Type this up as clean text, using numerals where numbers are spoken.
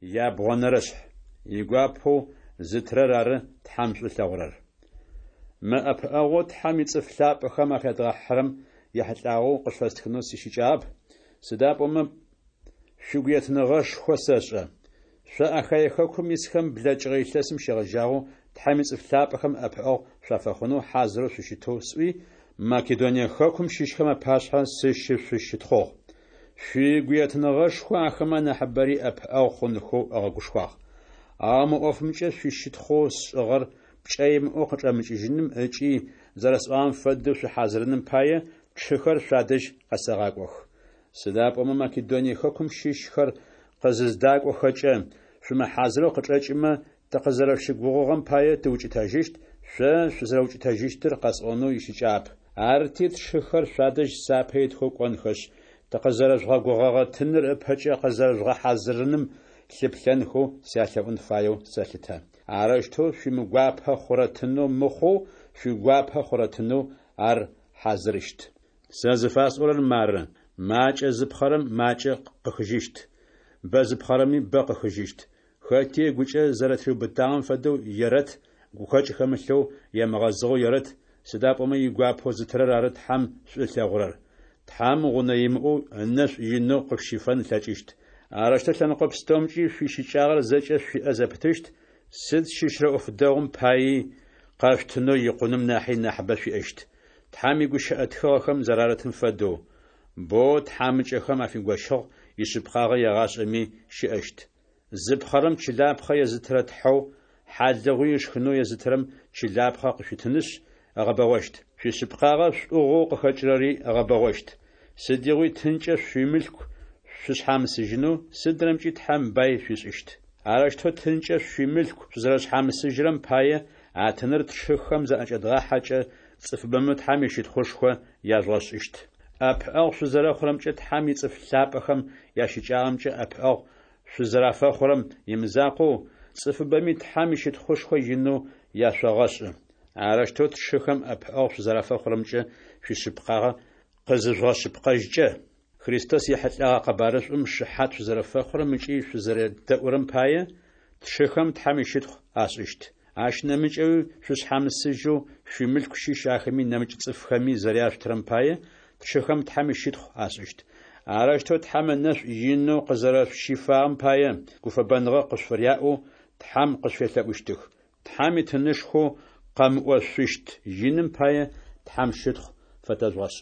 Ябгъонэрэшъхь. Игуапэу зытырэр ары Тхьэм шӏу ылъэгъурэр. Мы ӏэпыӏэгъоу Тхьэм ицӏыф лъапӏэхэм афядгъэхьырэм ехьылӏагъэу къышъуфэстхынэу сищыкӏагъэп, сыда пӏомэ шъуигуетыныгъэшхо сэшӏэ. Шъо Ахае хэкум исхэм блэкӏыгъэ илъэсым щегъэжьагъэу Тхьэм ицӏыф лъапӏэхэм ӏэпыӏэгъу шъуафэхъунэу хьазырэу шъущытэу сӏуи, Македоние хэкум щыщхэм апашъхьэ сыщышъущытхъугъ. Шъуигуетыныгъэшхо ахэмэ анахьыбэри ӏэпыӏэгъу хъунхэу ыгъэгушхуагъ. Ау мы ӏофымкӏэ шъуищытхъоу сшӏыгъэр пкӏэ имыӏэу къычӏэмыкӏыжьыным ыкӏи зэрэсӏуагъэм фэдэу шъухьазырыным пае, тшыхэр шъуадэжь къэсэгъакӏох. Сыда пӏомэ Македоние хэкум щыщхэр къызыздакӏохэкӏэ, шъумыхьазырэу къычӏэкӏымэ, тыкъызэрэшъущыгугъыгъэм пае тыукӏытэжьыщт, шъо шъузэрэукӏытэжьыщтыр къэсӏонэу ищыкӏагъэп. Арти, тшыхэр шъуадэжь сапэ итхэу кӏонхэшъ, тыкъызэрэжъугъэгугъэгъэ тыныр ыпэкӏэ къызэрэжъугъэхьазырыным лъыплъэнхэу сялъэӏун фаеу сэлъытэ. Арэущтэу шъуимыгуапэ хъурэ тынэу мыхъоу, шъуигуапэ хъурэ тынэу ар хьазырыщт. Сэ зыфасӏорэр мары: макӏэ зыпхъэрэм макӏэ къыхыжьыщт, бэ зыпхъэрэми бэ къыхыжьыщт. Хэти ыгукӏэ зэрэтыриубытагъэм фэдэу ерэт, гухэкӏ хэмылъэу, емыгъэзыгъэу ерэт, сыда пӏомэ игуапэу зытырэр ары Тхьэм шӏу ылъэгъурэр. Тхьэм гъунэ имыӏэу ынэшӏу инэу къышъущифэн ылъэкӏыщт. Арэущтэу лъэныкъо пстэумкӏи шъуищыкӏагъэр зэкӏэ шъуиӏэ зэпытыщт, сыд щыщрэ ӏоф дэгъум паий къэшъутынэу икъуным нахьи нахьыбэ шъуиӏэщт. Тхьэм игущыӏэ тхыгъэхэм зэрарытым фэдэу, Боу тхьамыкӏэхэм афигощыгъ, ишъыпкъагъэ егъашӏэми щыӏэщт. Зыпхъэрэм чылапхъэ езытырэ Тхьэу, хьалыгъуи ышхынэу езытырэм чылапхъэ къышъуитынышъ, ыгъэбэгъощт. Шъуишъыпкъагъэ шӏугъэу къыхэкӏырэри ыгъэбэгъощт. Сыдигъуи тынкӏэ шъуимылъку шъушъхьамысыжьынэу сыдрэмкӏи Тхьэм бай шъуишӏыщт. Арэущтэу тынкӏэ шъуимылъку шъузэрэшъхьамысыжьырэм пае, а тыныр тшыхэм заӏэкӏэдгъахьэкӏэ, цӏыфыбэмэ Тхьэм ищытхъушхо яжъугъэшӏыщт. ӏэпыӏэгъу шъузэрэхъурэмкӏэ Тхьэм ицӏыф лъапӏэхэм ящыкӏагъэмкӏэ ӏэпыӏэгъу шъузэрафэхъурэм имызакъоу, цӏыфыбэми Тхьэм ищытхъушхо инэу яшъогъэшӏы. Арэущтэу тшыхэм ӏэпыӏэгъу шъузэрафэхъурэмкӏэ шъуишъыпкъагъэ къызыжъугъэшъыпкъэжькӏэ, Христос ехьылӏэгъэ къэбарышӏум шыхьат шъузэрэфэхъурэм ыкӏи шъузэредэӏурэм пае, тшыхэм Тхьэм ищытхъу ашӏыщт. Ащ нэмыкӏэуи шъушъхьамысыжьэу шъуимылъку щыщ ахэми нэмыкӏ цӏыфхэми зэряшъутырэм пае, тшыхэм Тхьэм ищытхъу ашӏыщт. Арэущтэу Тхьэм ынэшӏу инэу къызэрэшъущифагъэм пае, гуфэбэныгъэ къышъуфыряӏэу Тхьэм къышъуфелъэӏущтых. Тхьэм итынышхоу къэмыӏошъущт иным пае Тхьэм щытхъу фэтэжъугъэшӏ.